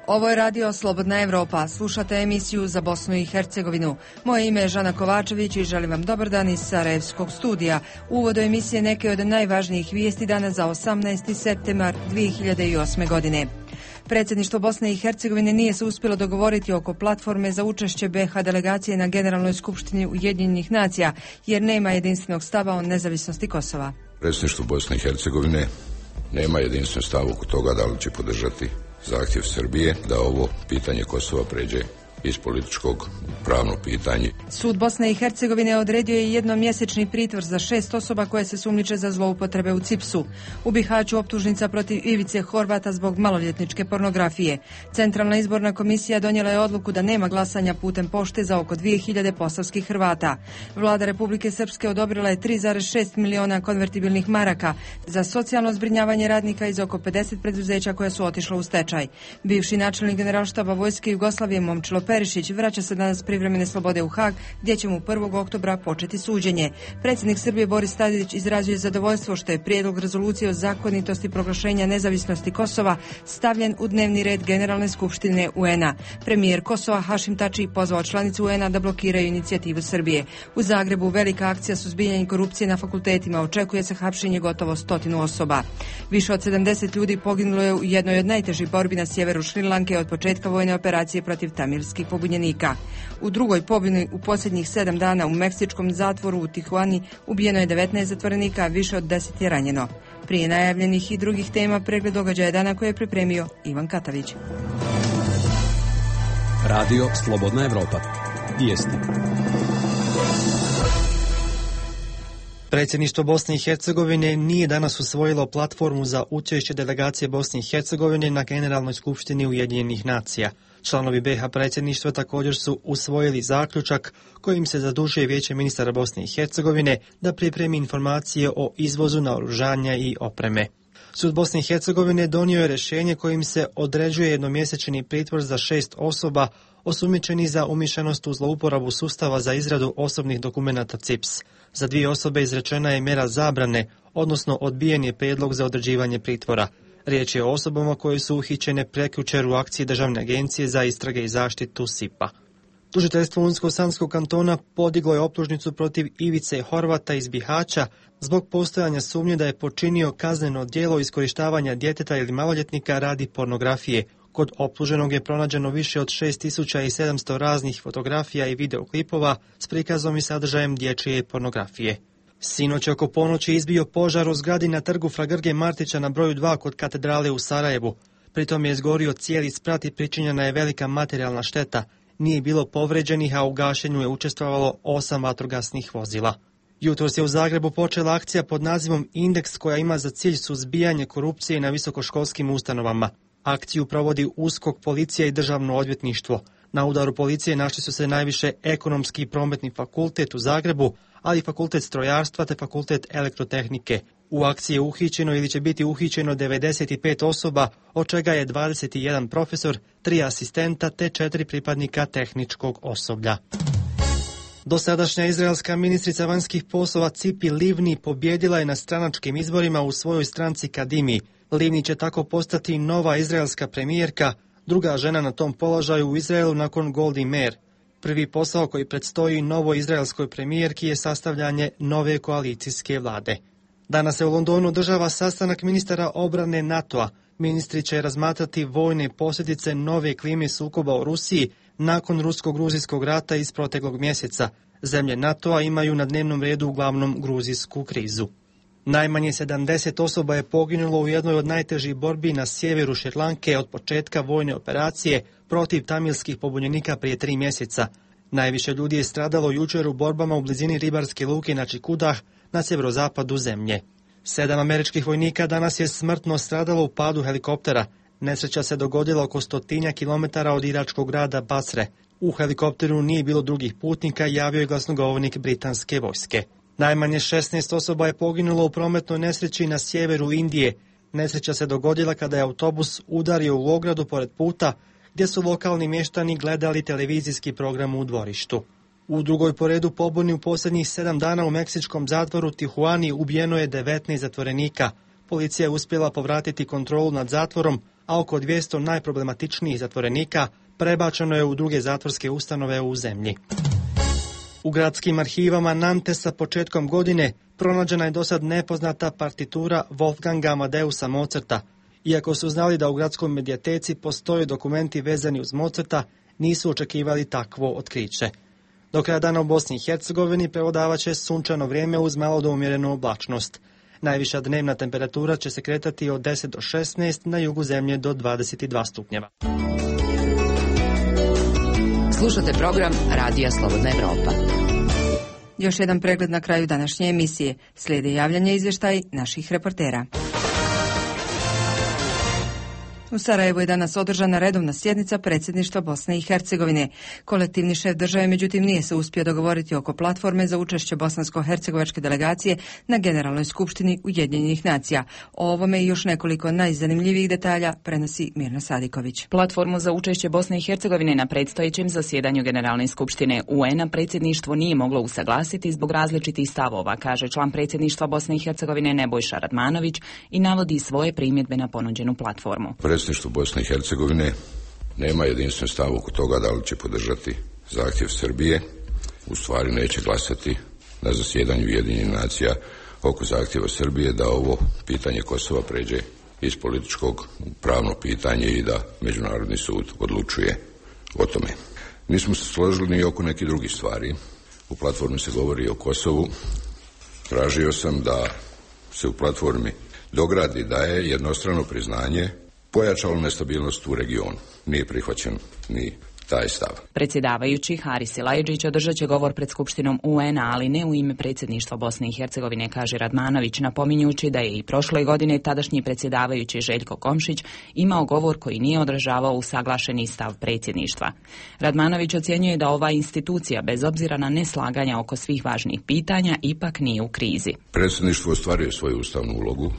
Ovo je radio Slobodna Evropa. Slušate emisiju za Bosnu i Hercegovinu. Moje ime je Žana Kovačević i želim vam dobar dan iz Sarajevskog studija. U uvodu emisije neke od najvažnijih vijesti dana za 18. septembar 2008. godine. Predsjedništvo Bosne i Hercegovine nije se uspjelo dogovoriti oko platforme za učešće BiH delegacije na Generalnoj skupštini Ujedinjenih nacija, jer nema jedinstvenog stava o nezavisnosti Kosova. Predsjedništvo Bosne i Hercegovine nema jedinstven stav oko toga da li će podržati zahtjev Srbije da ovo pitanje Kosova pređe iz političkog pravno pitanje. Sud Bosne i Hercegovine odredio je jednomjesečni pritvor za 6 osoba koje se sumnjiče za zloupotrebe u CIPS-u. U Bihaću optužnica protiv Ivice Horvata zbog maloljetničke pornografije. Centralna izborna komisija donijela je odluku da nema glasanja putem pošte za oko 2000 posavskih Hrvata. Vlada Republike Srpske odobrila je 3,6 miliona konvertibilnih maraka za socijalno zbrinjavanje radnika iz oko 50 preduzeća koja su otišla u stečaj. Bivši načelnik generalštaba Vojske Jugoslavije Momčilo Perišić vraća se danas privremene slobode u Hag, gdje će mu 1. oktobra početi suđenje. Predsjednik Srbije Boris Tadić izrazio je zadovoljstvo što je prijedlog rezolucije o zakonitosti proglašenja nezavisnosti Kosova stavljen u dnevni red Generalne skupštine UN-a. Premijer Kosova Hašim Tači pozvao članicu UN-a da blokiraju inicijativu Srbije. U Zagrebu velika akcija suzbijanja korupcije na fakultetima, očekuje se hapšenje gotovo 100 osoba. Više od 70 ljudi poginulo je u jednoj od najtežih borbi na sjeveru Šrilanke od početka vojne operacije protiv tamilskih pobunjenika. U drugoj pobuni u posljednjih 7 dana u meksičkom zatvoru u Tijuani ubijeno je 19 zatvorenika, a više od 10 je ranjeno. Prije najavljenih i drugih tema pregled događaja dana koje je pripremio Ivan Katavić. Radio Slobodna Evropa. Vijesti. Predsjedništvo Bosne i Hercegovine nije danas usvojilo platformu za učešće delegacije Bosne i Hercegovine na Generalnoj skupštini Ujedinjenih nacija. Članovi BiH predsjedništva također su usvojili zaključak kojim se zadužuje Vijeće ministara Bosne i Hercegovine da pripremi informacije o izvozu naoružanja i opreme. Sud Bosne i Hercegovine donio je rješenje kojim se određuje jednomjesečni pritvor za 6 osoba osumnjičenih za umiješanost u zlouporabu sustava za izradu osobnih dokumenata CIPS. Za 2 osobe izrečena je mjera zabrane, odnosno odbijen je prijedlog za određivanje pritvora. Riječ je o osobama koje su uhićene prekjučer u akciji Državne agencije za istrage i zaštitu SIP-a. Tužiteljstvo Unsko-Sanskog kantona podiglo je optužnicu protiv Ivice Horvata iz Bihaća zbog postojanja sumnje da je počinio kazneno djelo iskorištavanja djeteta ili maloljetnika radi pornografije. Kod optuženog je pronađeno više od 6700 raznih fotografija i videoklipova s prikazom i sadržajem dječje pornografije. Sinoć oko ponoći izbio požar u zgradi na trgu Fra Grge Martića na broju 2 kod katedrale u Sarajevu. Pritom je izgorio cijeli sprat i pričinjena je velika materijalna šteta. Nije bilo povređenih, a u gašenju je učestvovalo 8 vatrogasnih vozila. Jutros je u Zagrebu počela akcija pod nazivom Indeks koja ima za cilj suzbijanje korupcije na visokoškolskim ustanovama. Akciju provodi USKOK, policija i državno odvjetništvo. Na udaru policije našli su se najviše Ekonomski i prometni fakultet u Zagrebu, ali i Fakultet strojarstva te Fakultet elektrotehnike. U akciji je uhićeno ili će biti uhićeno 95 osoba, od čega je 21 profesor, 3 asistenta te 4 pripadnika tehničkog osoblja. Dosadašnja izraelska ministrica vanjskih poslova Cipi Livni pobjedila je na stranačkim izborima u svojoj stranci Kadimi. Livni će tako postati nova izraelska premijerka, druga žena na tom položaju u Izraelu nakon Goldi Meir. Prvi posao koji predstoji novoj izraelskoj premijerki je sastavljanje nove koalicijske vlade. Danas se u Londonu održava sastanak ministara obrane NATO-a. Ministri će razmatrati vojne posljedice nove klime sukoba u Rusiji nakon rusko-gruzijskog rata iz proteklog mjeseca. Zemlje NATO-a imaju na dnevnom redu uglavnom gruzijsku krizu. Najmanje 70 osoba je poginulo u jednoj od najtežih borbi na sjeveru Šrilanke od početka vojne operacije protiv tamilskih pobunjenika prije 3 mjeseca. Najviše ljudi je stradalo jučer u borbama u blizini ribarske luke na Čikudah na sjeverozapadu zemlje. 7 američkih vojnika danas je smrtno stradalo u padu helikoptera. Nesreća se dogodila oko 100 kilometara od iračkog grada Basre. U helikopteru nije bilo drugih putnika, javio je glasnogovornik britanske vojske. Najmanje 16 osoba je poginulo u prometnoj nesreći na sjeveru Indije. Nesreća se dogodila kada je autobus udario u ogradu pored puta, gdje su lokalni mještani gledali televizijski program u dvorištu. U drugoj po redu pobuni u posljednjih 7 dana u meksičkom zatvoru Tijuani ubijeno je 19 zatvorenika. Policija je uspjela povratiti kontrolu nad zatvorom, a oko 200 najproblematičnijih zatvorenika prebačeno je u druge zatvorske ustanove u zemlji. U gradskim arhivama Nantesa početkom godine pronađena je dosad nepoznata partitura Wolfganga Amadeusa Mozarta. Iako su znali da u gradskoj medijateci postoje dokumenti vezani uz Mozarta, nisu očekivali takvo otkriće. Do kraja dana u Bosni i Hercegovini prevladavat će sunčano vrijeme uz malo do umjerenu oblačnost. Najviša dnevna temperatura će se kretati od 10 do 16, na jugu zemlje do 22 stupnjeva. Slušate program Radija Slobodna Evropa. Još jedan pregled na kraju današnje emisije. Slijede javljanje izvještaj naših reportera. U Sarajevu je danas održana redovna sjednica predsjedništva Bosne i Hercegovine. Kolektivni šef države, međutim, nije se uspio dogovoriti oko platforme za učešće bosansko-hercegovačke delegacije na Generalnoj skupštini Ujedinjenih nacija. O ovome i još nekoliko najzanimljivijih detalja prenosi Mirna Sadiković. Platformu za učešće Bosne i Hercegovine na predstojećem zasjedanju Generalne skupštine UN-a predsjedništvo nije moglo usaglasiti zbog različitih stavova, kaže član predsjedništva Bosne i Hercegovine Nebojša Radmanović i navodi svoje primjedbe na ponuđenu platformu. Predsjedništvo Bosne i Hercegovine nema jedinstven stav oko toga da li će podržati zahtjev Srbije, u stvari neće glasati na zasjedanju Ujedinjenih nacija oko zahtjeva Srbije da ovo pitanje Kosova pređe iz političkog u pravno pitanje i da Međunarodni sud odlučuje o tome. Nismo se složili ni oko nekih drugih stvari. U platformi se govori o Kosovu. Tražio sam da se u platformi dogradi da je jednostrano priznanje pojačalo nestabilnost u regionu. Nije prihvaćen ni taj stav. Predsjedavajući Haris Silajdžić održat će govor pred Skupštinom UN-a, ali ne u ime predsjedništva Bosne i Hercegovine, kaže Radmanović, napominjući da je i prošle godine tadašnji predsjedavajući Željko Komšić imao govor koji nije odražavao usaglašeni stav predsjedništva. Radmanović ocjenjuje da ova institucija, bez obzira na neslaganja oko svih važnih pitanja, ipak nije u krizi. Predsjedništvo ostvaruje svoju ustavnu ulogu.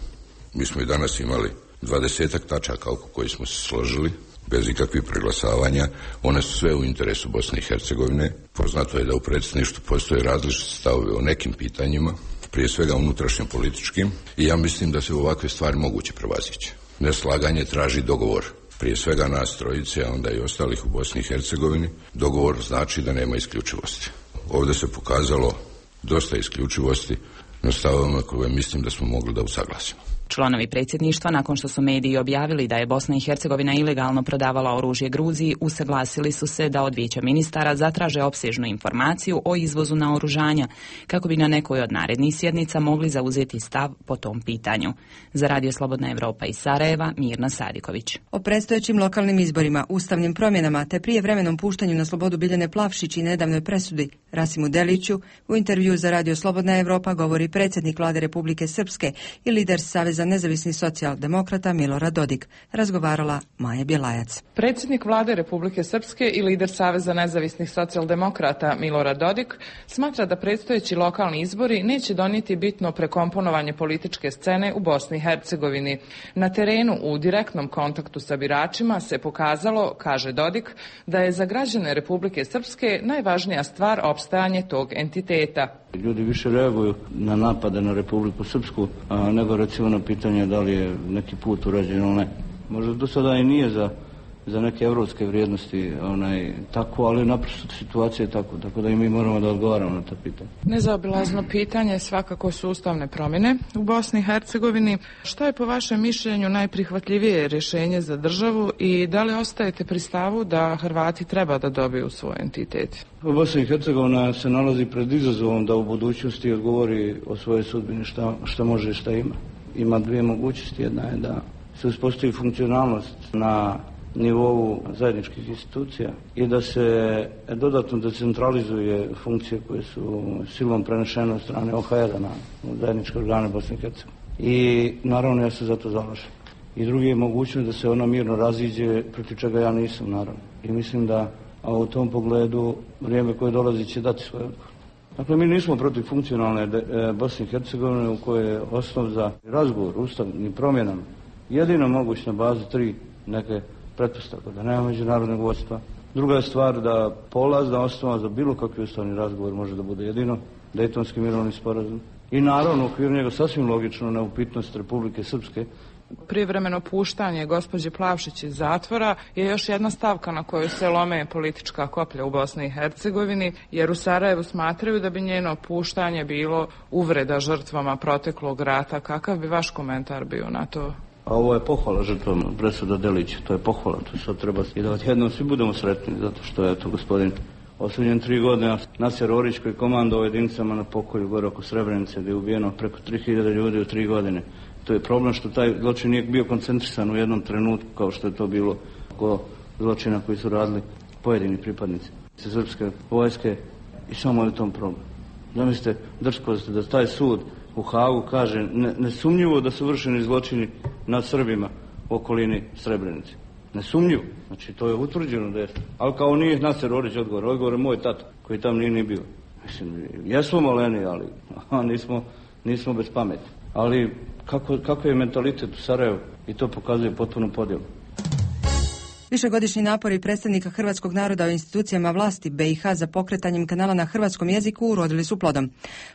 Mi smo i danas imali 20 tačaka oko koji smo se složili, bez ikakvih preglasavanja. One su sve u interesu Bosne i Hercegovine. Poznato je da u predsjedništvu postoje različite stavove o nekim pitanjima, prije svega unutrašnjim političkim, i ja mislim da se ovakve stvari moguće prevazići. Neslaganje traži dogovor, prije svega nas trojice, a onda i ostalih u Bosni i Hercegovini. Dogovor znači da nema isključivosti. Ovdje se pokazalo dosta isključivosti na stavovima koje mislim da smo mogli da usaglasimo. Članovi predsjedništva, nakon što su mediji objavili da je Bosna i Hercegovina ilegalno prodavala oružje Gruziji, usaglasili su se da od vijeća ministara zatraže opsežnu informaciju o izvozu naoružanja, kako bi na nekoj od narednih sjednica mogli zauzeti stav po tom pitanju. Za Radio Slobodna Evropa iz Sarajeva, Mirna Sadiković. O predstojećim lokalnim izborima, ustavnim promjenama te prijevremenom puštanju na slobodu Biljane Plavšić i nedavnoj presudi Rasimu Deliću u intervju za Radio Slobodna Evropa govori predsjednik Vlade Republike Srpske i lider Saveza nezavisnih socijaldemokrata Milorad Dodik. Razgovarala Maja Bjelajac. Predsjednik Vlade Republike Srpske i lider Saveza nezavisnih socijaldemokrata Milorad Dodik smatra da predstojeći lokalni izbori neće donijeti bitno prekomponovanje političke scene u Bosni i Hercegovini. Na terenu u direktnom kontaktu sa biračima se pokazalo, kaže Dodik, da je za građane Republike Srpske najvažnija stvar opstajanje tog entiteta. Ljudi više reaguju na napade na Republiku Srpsku, nego recimo na pitanje da li je neki put urađen ili ne. Možda do sada i nije za neke evropske vrijednosti tako, ali naprosto situacija je tako da i mi moramo da odgovaramo na ta pitanja. Nezaobilazno pitanje svakako su ustavne promjene u Bosni i Hercegovini. Što je po vašem mišljenju najprihvatljivije rješenje za državu i da li ostajete pri stavu da Hrvati treba da dobiju svoj entitet? Bosna i Hercegovina se nalazi pred izazovom da u budućnosti odgovori o svojoj sudbini šta može i šta ima. Ima dvije mogućnosti. Jedna je da se uspostavi funkcionalnost na nivou zajedničkih institucija i da se dodatno decentralizuje funkcije koje su silom prenešene od strane OHR-a na zajedničke organe Bosne i Hercegovine. I naravno ja se za to zalažem. I drugi je mogućnost da se ona mirno raziđe, protiv čega ja nisam naravno. I mislim da u tom pogledu vrijeme koje dolazi će dati svoj odgovor. Dakle, mi nismo protiv funkcionalne Bosne i Hercegovine u kojoj je osnov za razgovor ustavnim promjenama jedino moguć na bazi 3 neke pretpostavka, da nema međunarodnog vodstva. Druga je stvar da polazna osnova za bilo kakvi ustavni razgovor može da bude jedino Dejtonski mirovni sporazum. I naravno u okviru njega sasvim logično neupitnost Republike Srpske Privremeno puštanje gospođe Plavšić iz zatvora je još jedna stavka na koju se lome politička koplja u Bosni i Hercegovini, jer u Sarajevu smatraju da bi njeno puštanje bilo uvreda žrtvama proteklog rata. Kakav bi vaš komentar bio na to? A ovo je pohvala žrtvama presuda Delića, to je pohvala, to sad treba i da odjednom svi budemo sretni, zato što je to gospodin osuđen 3 godine, Nasir Orić koji komandovao jedinicama na pokolju gore oko Srebrenice, gdje je ubijeno preko 3000 ljudi u 3 godine. To je problem što taj zločin nije bio koncentrisan u jednom trenutku, kao što je to bilo oko zločina koji su radili pojedini pripadnici srpske vojske, i samo je u tom problem. Zamislite drskost da taj sud u Hagu kaže nesumnjivo da su vršeni zločini nad Srbima u okolini Srebrenice. Nesumnjivo. Znači to je utvrđeno da je. Ali kao nije Nasir Orić odgovor je moj tata koji tam nije ni bio. Mislim, jesmo maleni, ali nismo bez pameti. Ali kako je mentalitet u Sarajevu i to pokazuje potpunu podjelu. Višegodišnji napori predstavnika hrvatskog naroda u institucijama vlasti BiH za pokretanjem kanala na hrvatskom jeziku urodili su plodom.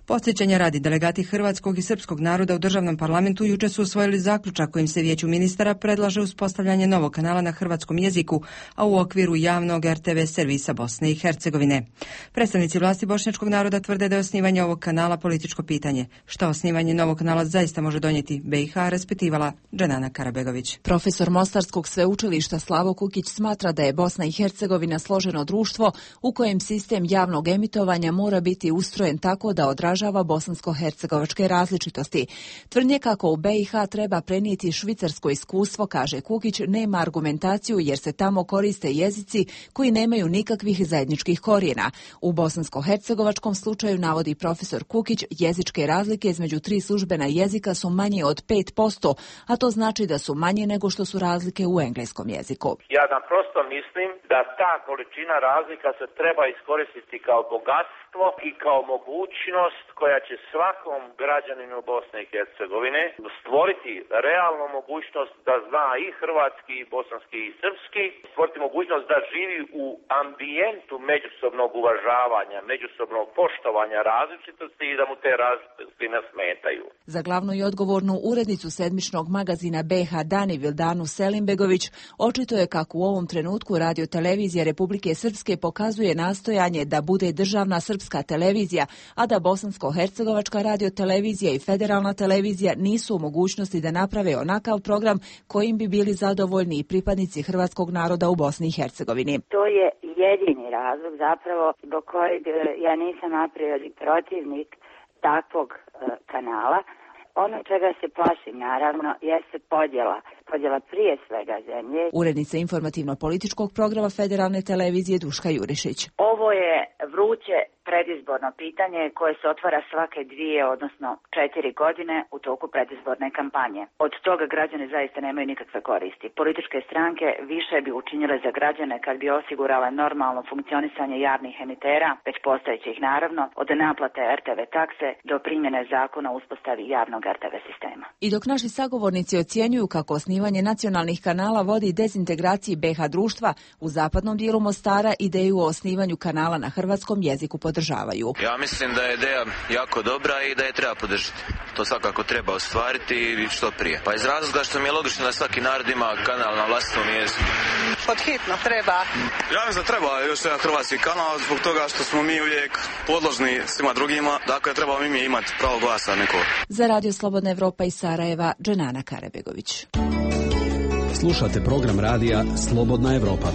Podsjećanja radi, delegati hrvatskog i srpskog naroda u državnom parlamentu jučer su usvojili zaključak kojim se Vijeću ministara predlaže uspostavljanje novog kanala na hrvatskom jeziku, a u okviru javnog RTV servisa Bosne i Hercegovine. Predstavnici vlasti bošnjačkog naroda tvrde da je osnivanje ovog kanala političko pitanje. Što osnivanje novog kanala zaista može donijeti BiH, raspitivala Dženana Karabegović. Profesor Mostarskog sveučilišta Slavo Kukić smatra da je Bosna i Hercegovina složeno društvo u kojem sistem javnog emitovanja mora biti ustrojen tako da odražava bosansko-hercegovačke različitosti. Tvrdnje kako u BiH treba prenijeti švicarsko iskustvo, kaže Kukić, nema argumentaciju jer se tamo koriste jezici koji nemaju nikakvih zajedničkih korijena. U bosansko-hercegovačkom slučaju, navodi profesor Kukić, jezičke razlike između 3 službena jezika su manje od 5%, a to znači da su manje nego što su razlike u engleskom jeziku. Ja naprosto mislim da ta količina razlika se treba iskoristiti kao bogatstvo i kao mogućnost koja će svakom građaninu Bosne i Hercegovine stvoriti realnu mogućnost da zna i hrvatski, i bosanski, i srpski, stvoriti mogućnost da živi u ambijentu međusobnog uvažavanja, međusobnog poštovanja različitosti i da mu te različitosti ne smetaju. Za glavnu i odgovornu urednicu sedmičnog magazina BiH Dani Vildanu Selimbegović očito je kako u ovom trenutku Radio-televizija Republike Srpske pokazuje nastojanje da bude državna srpska televizija, a da bosansko-hercegovačka radio-televizija i federalna televizija nisu u mogućnosti da naprave onakav program kojim bi bili zadovoljni i pripadnici hrvatskog naroda u Bosni i Hercegovini. To je jedini razlog zapravo zbog kojeg ja nisam a priori protivnik takvog kanala. Ono čega se plašim, naravno, jeste podjela prije svega zemlje. Urednica informativno-političkog programa federalne televizije Duška Jurišić. Ovo je vruće predizborno pitanje koje se otvara svake 2, odnosno 4 godine u toku predizborne kampanje. Od toga građani zaista nemaju nikakve koristi. Političke stranke više bi učinile za građane kad bi osigurale normalno funkcionisanje javnih emitera, već postojećih naravno, od naplate RTV takse do primjene zakona o uspostavi javnog RTV sistema. I dok naši sagovornici ocjenjuju kako osnivanje nacionalnih kanala vodi dezintegraciji BiH društva, u zapadnom dijelu Mostara ideju o osnivanju kanala na hrvatskom jeziku podržavaju. Ja mislim da je ideja jako dobra i da je treba podržati. To svakako treba ostvariti i što prije. Pa iz razloga što mi je logično da svaki narod ima kanal na vlastitom jeziku. Pod hitno treba. Ja mislim da treba još jedan hrvatski kanal zbog toga što smo mi uvijek podložni svima drugima. Dakle, trebamo mi imati pravo glasa nekog. Za Radio Slobodna Evropa iz Sarajeva, Dženana Karabegović. Slušate program radija Slobodna Evropa.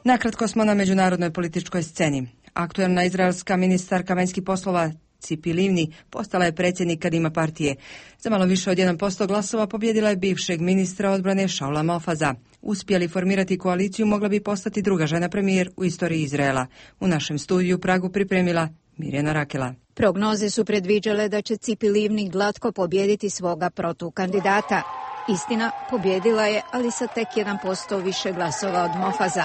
Nakratko smo na međunarodnoj političkoj sceni. Aktuelna izraelska ministarka vanjskih poslova Cipi Livni postala je predsjednik Kadima partije. Za malo više od 1% glasova pobjedila je bivšeg ministra odbrane Šaula Mofaza. Uspjeli formirati koaliciju mogla bi postati druga žena premijer u istoriji Izraela. U našem studiju u Pragu pripremila Mirjana Rakela. Prognoze su predviđale da će Cipi Livni glatko pobjediti svoga protukandidata. Istina, pobjedila je, ali sa tek 1% više glasova od Mofaza.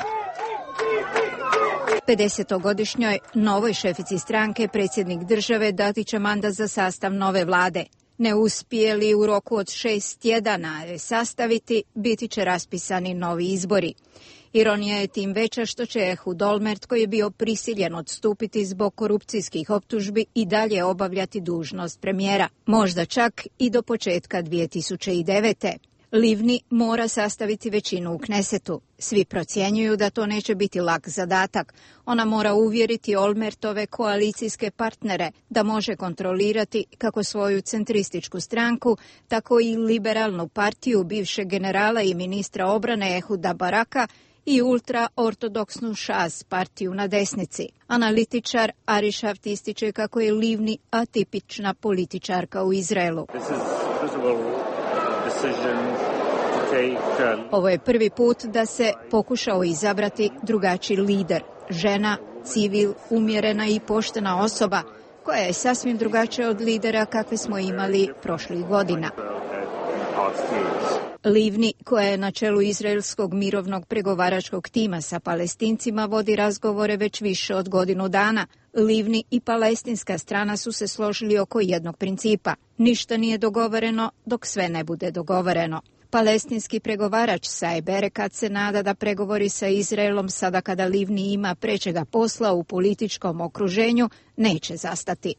50-godišnjoj novoj šefici stranke predsjednik države dati će mandat za sastav nove vlade. Ne uspije li u roku od 6 tjedana sastaviti, biti će raspisani novi izbori. Ironija je tim veća što će Ehud Olmert, koji je bio prisiljen odstupiti zbog korupcijskih optužbi, i dalje obavljati dužnost premijera, možda čak i do početka 2009. Livni mora sastaviti većinu u Knesetu. Svi procjenjuju da to neće biti lak zadatak. Ona mora uvjeriti Olmertove koalicijske partnere da može kontrolirati kako svoju centrističku stranku, tako i liberalnu partiju bivšeg generala i ministra obrane Ehuda Baraka i ultraortodoksnu Šas partiju na desnici. Analitičar Ari Šaft ističe kako je Livni atipična političarka u Izraelu. Ovo je prvi put da se pokušao izabrati drugačiji lider, žena, civil, umjerena i poštena osoba, koja je sasvim drugačija od lidera kakve smo imali prošlih godina. Livni, koja je na čelu izraelskog mirovnog pregovaračkog tima sa Palestincima, vodi razgovore već više od godinu dana. Livni i palestinska strana su se složili oko jednog principa. Ništa nije dogovoreno dok sve ne bude dogovoreno. Palestinski pregovarač Saeb Erekat se nada da pregovori sa Izraelom, sada kada Livni ima prečega posla u političkom okruženju, neće zastati.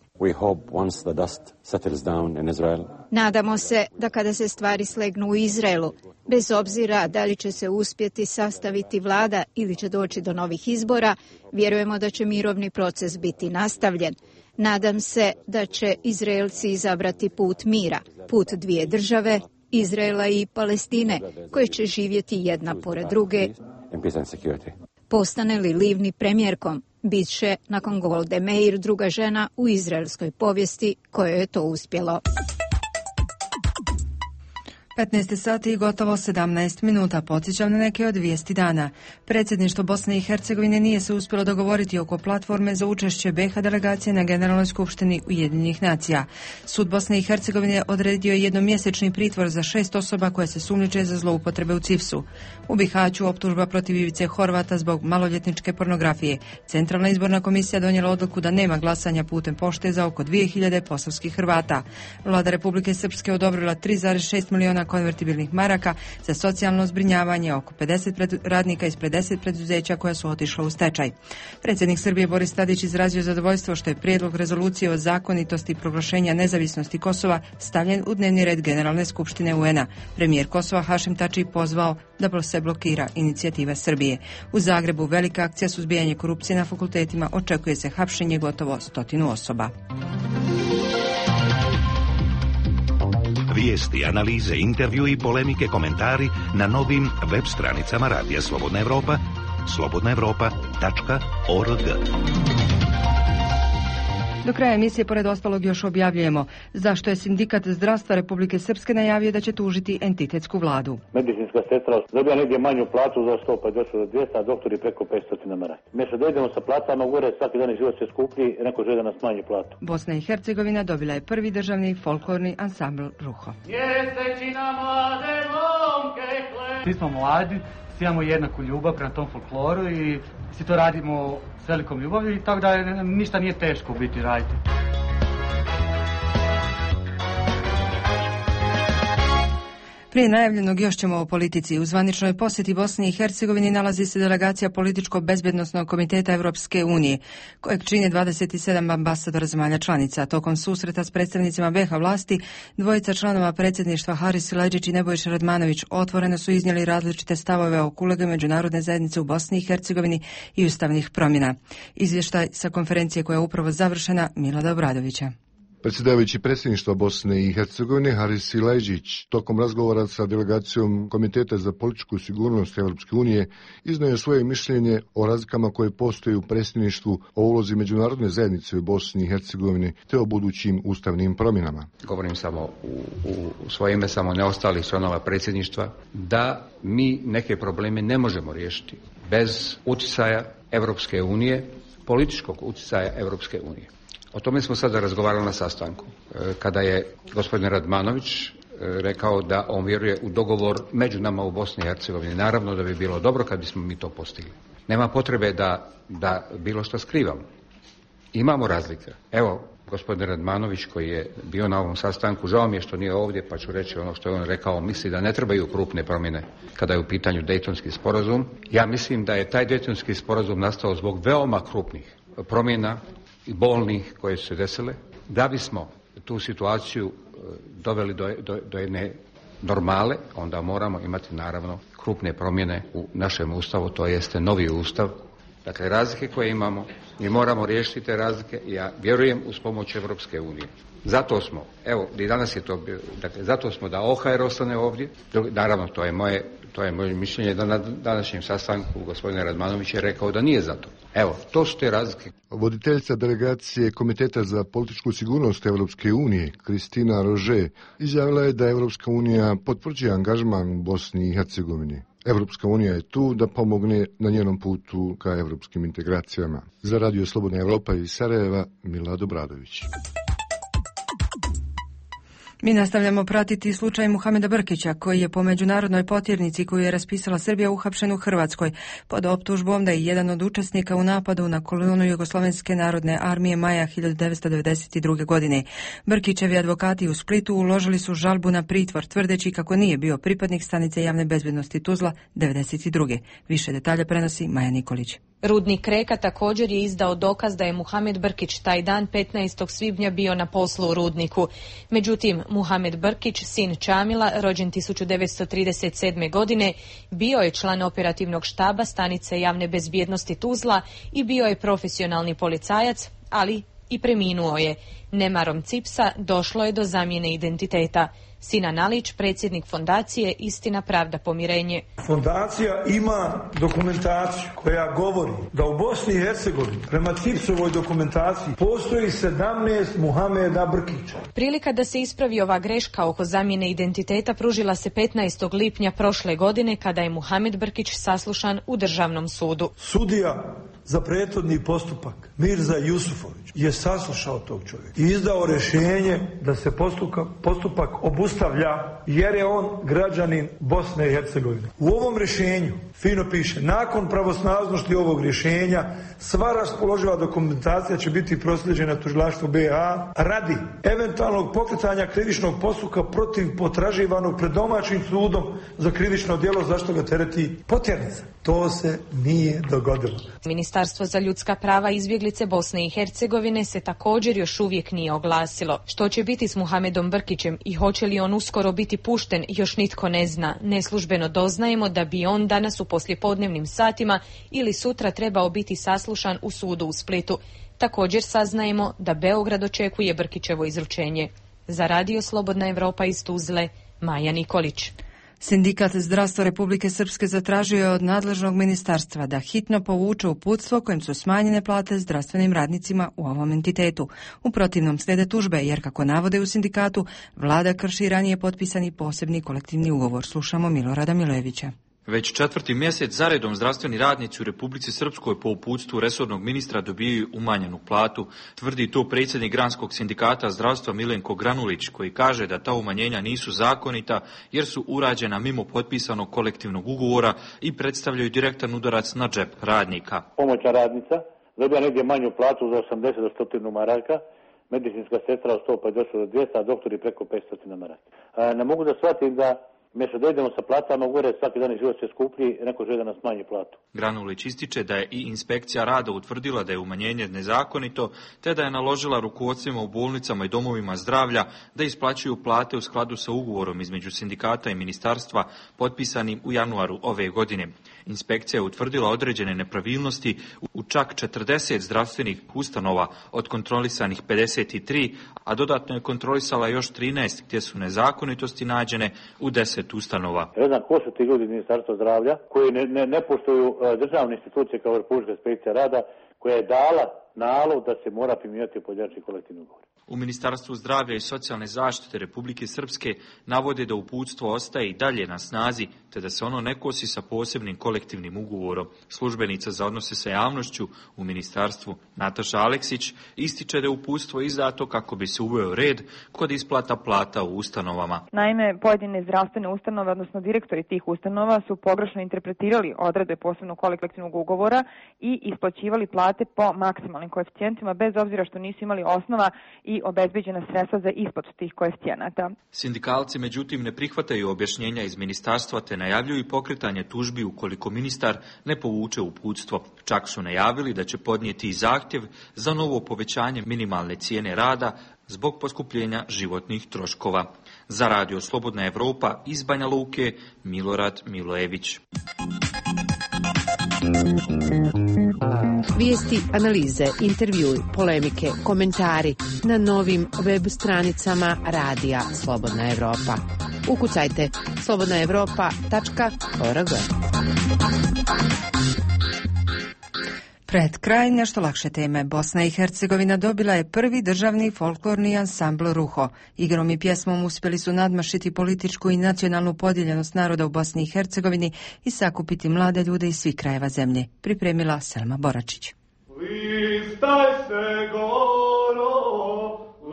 Nadamo se da kada se stvari slegnu u Izraelu, bez obzira da li će se uspjeti sastaviti vlada ili će doći do novih izbora, vjerujemo da će mirovni proces biti nastavljen. Nadam se da će Izraelci izabrati put mira, put dvije države, Izraela i Palestine, koje će živjeti jedna pored druge. Postane li Livni premijerkom, bit će nakon Golde Meir druga žena u izraelskoj povijesti kojoj je to uspjelo. 15 sati i gotovo 17 minuta. Podsjećam na neke od vijesti dana. Predsjedništvo Bosne i Hercegovine nije se uspjelo dogovoriti oko platforme za učešće BiH delegacije na Generalnoj skupštini Ujedinjenih nacija. Sud Bosne i Hercegovine odredio je jednomjesečni pritvor za 6 osoba koje se sumnjiče za zloupotrebe u CIPS-u. U Bihaću optužba protiv Ivice Horvata zbog maloljetničke pornografije. Centralna izborna komisija donijela odluku da nema glasanja putem pošte za oko 2000 posavskih Hrvata. Vlada Republike Srpske odobrila 3,6 miliona konvertibilnih maraka za socijalno zbrinjavanje oko 50 radnika iz 50 preduzeća koja su otišla u stečaj. Predsjednik Srbije Boris Tadić izrazio zadovoljstvo što je prijedlog rezolucije o zakonitosti proglašenja nezavisnosti Kosova stavljen u dnevni red Generalne skupštine UN-a. Premijer Kosova Hašim Tači pozvao da se blokira inicijativa Srbije. U Zagrebu velika akcija suzbijanja korupcije na fakultetima, očekuje se hapšenje gotovo 100 osoba. Vijesti, analize, intervju i polemike, komentari na novim web stranicama Radija Slobodna Evropa, slobodnaevropa.org. Do kraja emisije, pored ostalog, još objavljujemo zašto je Sindikat zdravstva Republike Srpske najavio da će tužiti entitetsku vladu. Medicinska sestra dobija negdje manju platu za 100, pa došlo do 200, a doktori preko 500 mara. Mjesto da idemo sa platama gore, svaki dan život se skuplji i neko želi da nas smanji platu. Bosna i Hercegovina dobila je prvi državni folklorni ansambl Ruho. Svi smo mladi, svi imamo jednaku ljubav prema tom folkloru i svi to radimo s velikom ljubavlju i tako da ništa nije teško biti raditi. Prije najavljenog još ćemo o politici. U zvaničnoj posjeti Bosni i Hercegovini nalazi se delegacija Političko-bezbednosnog komiteta Europske unije, kojeg čine 27 ambasadora zemalja članica. Tokom susreta s predstavnicima BiH vlasti, dvojica članova predsjedništva Haris Silajdžić i Nebojša Radmanović otvoreno su iznijeli različite stavove oko uloge međunarodne zajednice u Bosni i Hercegovini i ustavnih promjena. Izvještaj sa konferencije koja je upravo završena, Milada Obradovića. Predsjedavajući predsjedništva Bosne i Hercegovine Haris Silajdžić tokom razgovora sa delegacijom Komiteta za političku sigurnost Europske unije iznio je svoje mišljenje o razlikama koje postoje u predsjedništvu, o ulozi međunarodne zajednice u Bosni i Hercegovini te o budućim ustavnim promjenama. Govorim samo u svoje ime, samo ne ostalih članova predsjedništva, da mi neke probleme ne možemo riješiti bez utjecaja Europske unije, političkog utjecaja Europske unije. O tome smo sada razgovarali na sastanku, kada je gospodin Radmanović rekao da on vjeruje u dogovor među nama u Bosni i Hercegovini. Naravno da bi bilo dobro kad bismo mi to postigli. Nema potrebe da bilo što skrivamo. Imamo razlike. Evo, Gospodin Radmanović koji je bio na ovom sastanku, žao mi je što nije ovdje, pa ću reći ono što je on rekao, misli da ne trebaju krupne promjene kada je u pitanju Dejtonski sporazum. Ja mislim da je taj Dejtonski sporazum nastao zbog veoma krupnih promjena i bolnih koje su se desile, da bismo tu situaciju doveli do jedne normale, onda moramo imati naravno krupne promjene u našem ustavu, to jeste novi ustav. Dakle, razlike koje imamo, mi moramo riješiti te razlike i ja vjerujem uz pomoć Europske unije. Zato smo, evo, i danas je to bio, dakle, zato smo da OHR ostane ovdje. Naravno, to je moje mišljenje da na današnjem sastanku gospodin Radmanović je rekao da nije zato. Evo, to su te razlike. Voditeljica delegacije Komiteta za političku sigurnost Europske unije, Kristina Rože, izjavila je da Europska unija potvrđuje angažman u Bosni i Hercegovini. Europska unija je tu da pomogne na njenom putu ka europskim integracijama. Za Radio Slobodna Evropa iz Sarajeva, Milad Obradović. Mi nastavljamo pratiti slučaj Muhameda Brkića, koji je po međunarodnoj potjernici koju je raspisala Srbija uhapšen u Hrvatskoj pod optužbom da je jedan od učesnika u napadu na kolonu Jugoslovenske narodne armije maja 1992. godine. Brkićevi advokati u Splitu uložili su žalbu na pritvor, tvrdeći kako nije bio pripadnik stanice javne bezbednosti Tuzla 92. Više detalja prenosi Maja Nikolić. Rudnik Reka također je izdao dokaz da je Muhamed Brkić taj dan 15. svibnja bio na poslu u rudniku. Međutim, Muhamed Brkić, sin Čamila, rođen 1937. godine, bio je član operativnog štaba stanice javne bezbjednosti Tuzla i bio je profesionalni policajac, ali i preminuo je. Nemarom CIPS-a došlo je do zamjene identiteta. Sinan Alić, predsjednik fondacije Istina, pravda, pomirenje. Fondacija ima dokumentaciju koja govori da u Bosni i Hercegovini prema CIPS-ovoj dokumentaciji postoji 17 Muhameda Brkića. Prilika da se ispravi ova greška oko zamjene identiteta pružila se 15. lipnja prošle godine kada je Muhamed Brkić saslušan u Državnom sudu. Sudija za prethodni postupak Mirza Jusufović je saslušao tog čovjeka i izdao rješenje da se postupak obustavlja jer je on građanin Bosne i Hercegovine. U ovom rješenju fino piše: nakon pravosnažnosti ovog rješenja sva raspoloživa dokumentacija će biti proslijeđena tužilaštvu BiH radi eventualnog pokretanja krivičnog postupka protiv potraživanog pred domaćim sudom za krivično djelo za što ga tereti potjernica. To se nije dogodilo. Ministarstvo za ljudska prava i izbjeglice Bosne i Hercegovine se također još uvijek nije oglasilo. Što će biti s Muhamedom Brkićem i hoće li on uskoro biti pušten, još nitko ne zna. Neslužbeno doznajemo da bi on danas u poslijepodnevnim satima ili sutra trebao biti saslušan u sudu u Splitu. Također saznajemo da Beograd očekuje Brkićevo izručenje. Za Radio Slobodna Evropa iz Tuzle, Maja Nikolić. Sindikat Zdravstva Republike Srpske zatražio je od nadležnog ministarstva da hitno povuče uputstvo kojim su smanjene plate zdravstvenim radnicima u ovom entitetu. U protivnom slijede tužbe, jer kako navode u sindikatu, vlada krši ranije potpisani posebni kolektivni ugovor. Slušamo Milorada Milojevića. Već 4. mjesec zaredom zdravstveni radnici u Republici Srpskoj po uputstvu resornog ministra dobijaju umanjenu platu, tvrdi to predsjednik Granskog sindikata zdravstva Milenko Granulić, koji kaže da ta umanjenja nisu zakonita jer su urađena mimo potpisanog kolektivnog ugovora i predstavljaju direktan udarac na džep radnika. Pomoćna radnica dobija negdje manju platu za 80 do 100 maraka, medicinska sestra od 150 do 200, a doktori preko 500 maraka. Ne mogu da shvatim da mjesto da idemo sa platama, gore svaki dan život se skuplji, neko želi da nas smanji platu. Granulić ističe da je i inspekcija rada utvrdila da je umanjenje nezakonito, te da je naložila rukovodstvima u bolnicama i domovima zdravlja da isplaćuju plate u skladu sa ugovorom između sindikata i ministarstva potpisanim u januaru ove godine. Inspekcija je utvrdila određene nepravilnosti u čak 40 zdravstvenih ustanova, od kontrolisanih 53, a dodatno je kontrolisala još 13 gdje su nezakonitosti nađene u 10 ustanova. Ne znam ko su ti ljudi iz Ministarstva zdravlja koji ne poštuju državne institucije kao Republička inspekcija rada, koja je dala nalog da se mora primjenjivati pojedinačni kolektivni ugovor. U Ministarstvu zdravlja i socijalne zaštite Republike Srpske navode da uputstvo ostaje i dalje na snazi, te da se ono ne kosi sa posebnim kolektivnim ugovorom. Službenica za odnose sa javnošću u ministarstvu Nataša Aleksić ističe da je uputstvo izdato kako bi se uveo red kod isplata plata u ustanovama. Naime, pojedine zdravstvene ustanove, odnosno direktori tih ustanova, su pogrešno interpretirali odredbe posebnog kolektivnog ugovora i isplaćivali plate po maksimalnim koeficijentima, bez obzira što nisu imali osnova i obezbeđena sredstva za isplatu tih koeficijenata. Sindikalci međutim ne prihvataju objašnjenja iz ministarstva te najavljuju pokretanje tužbi ukoliko ministar ne povuče uputstvo. Čak su najavili da će podnijeti i zahtjev za novo povećanje minimalne cijene rada zbog poskupljenja životnih troškova. Za Radio Slobodna Evropa iz Banja Luke, Milorad Milojević. Vijesti, analize, intervjui, polemike, komentari na novim web stranicama Radija Slobodna Evropa. Ukucajte slobodnaevropa.org. Pred kraj nešto lakše teme. Bosna i Hercegovina dobila je prvi državni folklorni ansambl Ruho. Igrom i pjesmom uspjeli su nadmašiti političku i nacionalnu podijeljenost naroda u Bosni i Hercegovini i sakupiti mlade ljude iz svih krajeva zemlje. Pripremila Selma Boračić. Listaj se goro,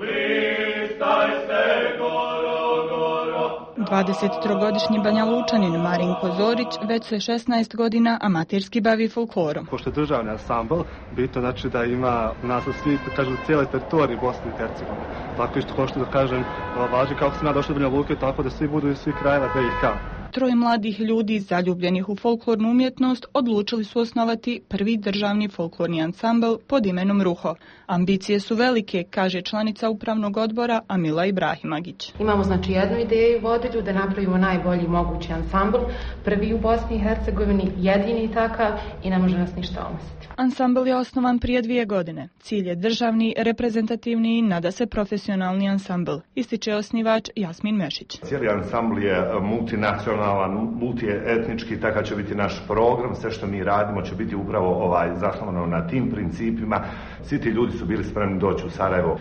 listaj se goro, goro. 23-godišnji Banja Lučanin Marinko Zorić već se 16 godina amaterski bavi folklorom. Pošto je državni ansambl, bitno znači da ima u nas svi, kažu, cijele teritorije Bosne i Hercegovine. Tako isto kao što da kažem, važi kako sam ja došao do Banja Luke, tako da svi budu iz svih krajeva BiH. Troje mladih ljudi zaljubljenih u folklornu umjetnost odlučili su osnovati prvi državni folklorni ansambl pod imenom Ruho. Ambicije su velike, kaže članica upravnog odbora Amila Ibrahimagić. Imamo znači jednu ideju vodilju da napravimo najbolji mogući ansambl, prvi u Bosni i Hercegovini, jedini takav i ne može nas ništa omestiti. Ansambl je osnovan prije 2 godine. Cilj je državni, reprezentativni i nada se profesionalni ansambl, ističe osnivač Jasmin Mešić. Cijeli ansambl je multinacionalan, multietnički, takav će biti naš program, sve što mi radimo će biti upravo zasnovano na tim principima. Svi ti ljudi su bili spremni doći u Sarajevo.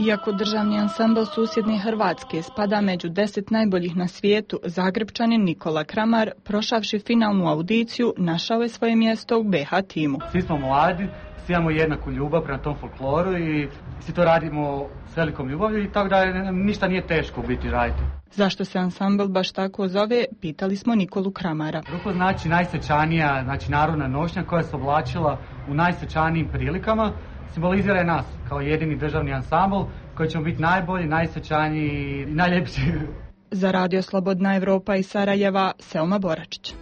Iako državni ansambl susjedne Hrvatske spada među 10 najboljih na svijetu, Zagrebčanin Nikola Kramar, prošavši finalnu audiciju, našao je svoje mjesto u BH timu. Svi smo mladi, svi imamo jednaku ljubav prema tom folkloru i svi to radimo s velikom ljubavlju i tako da ništa nije teško biti raditi. Zašto se ansambl baš tako zove, pitali smo Nikolu Kramara. Ruho znači najsvečanija, znači narodna nošnja koja se oblačila u najsvečanijim prilikama, simbolizira je nas kao jedini državni ansambl koji ćemo biti najbolji, najsvečaniji i najljepši. Za Radio Slobodna Evropa iz Sarajeva, Selma Boračić.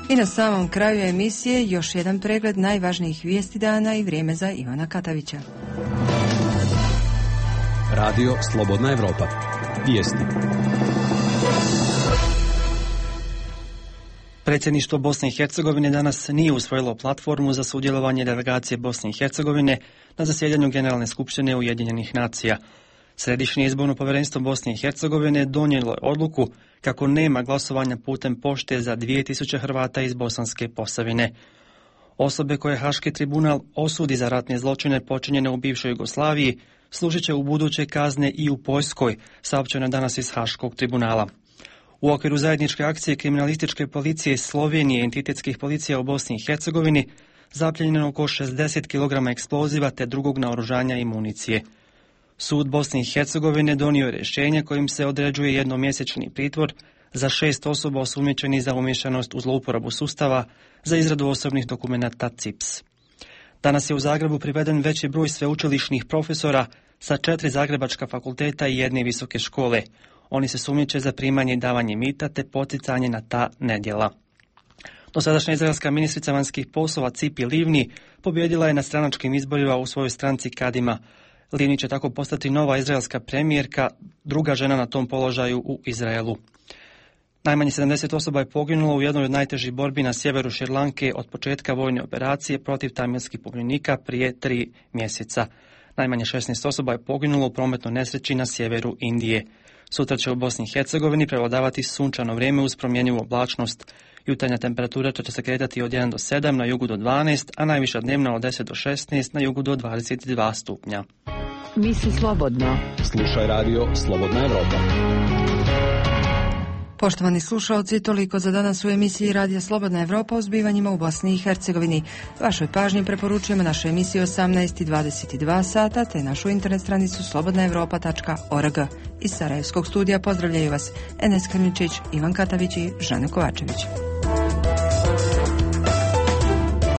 I na samom kraju emisije još jedan pregled najvažnijih vijesti dana i vrijeme za Ivana Katavića. Radio Slobodna Evropa. Vijesti. Predsjedništvo Bosne i Hercegovine danas nije usvojilo platformu za sudjelovanje delegacije Bosne i Hercegovine na zasjedanju Generalne skupštine Ujedinjenih nacija. Središnje izborno povjerenstvo Bosne i Hercegovine donijelo je odluku kako nema glasovanja putem pošte za 2000 Hrvata iz Bosanske Posavine. Osobe koje Haški tribunal osudi za ratne zločine počinjene u bivšoj Jugoslaviji služit će u buduće kazne i u Poljskoj, saopćeno danas iz Haškog tribunala. U okviru zajedničke akcije kriminalističke policije Slovenije i entitetskih policija u Bosni i Hercegovini zapljenjeno oko 60 kg eksploziva te drugog naoružanja i municije. Sud Bosne i Hercegovine donio je rješenje kojim se određuje jednomjesečni pritvor za 6 osoba osumnjičenih za umiješanost u zlouporabu sustava za izradu osobnih dokumenata CIPS. Danas je u Zagrebu priveden veći broj sveučilišnih profesora sa 4 zagrebačka fakulteta i 1 visoke škole. Oni se sumnjiče za primanje i davanje mita te poticanje na ta nedjela. Dosadašnja izraelska ministrica vanjskih poslova Cipi Livni pobjedila je na stranačkim izborima u svojoj stranci Kadima. Livni će tako postati nova izraelska premijerka, druga žena na tom položaju u Izraelu. Najmanje 70 osoba je poginulo u jednoj od najtežih borbi na sjeveru Šrilanke od početka vojne operacije protiv tamilskih pobunjenika prije 3 mjeseca. Najmanje 16 osoba je poginulo u prometnoj nesreći na sjeveru Indije. Sutra će u Bosni i Hercegovini prevladavati sunčano vrijeme uz promjenjivu oblačnost. Jutarnja temperatura će se kretati od 1 do 7, na jugu do 12, a najviša dnevna od 10 do 16, na jugu do 22 stupnja. Misli slobodno. Slušaj radio Slobodna Evropa. Poštovani slušalci, toliko za danas u emisiji Radija Slobodna Evropa o zbivanjima u Bosni i Hercegovini. Vašoj pažnji preporučujemo naše emisije 18 i 22 sata te našu internet stranicu slobodnaevropa.org. Iz Sarajevskog studija pozdravljaju vas Enes Krničić, Ivan Katavić i Žana Kovačević.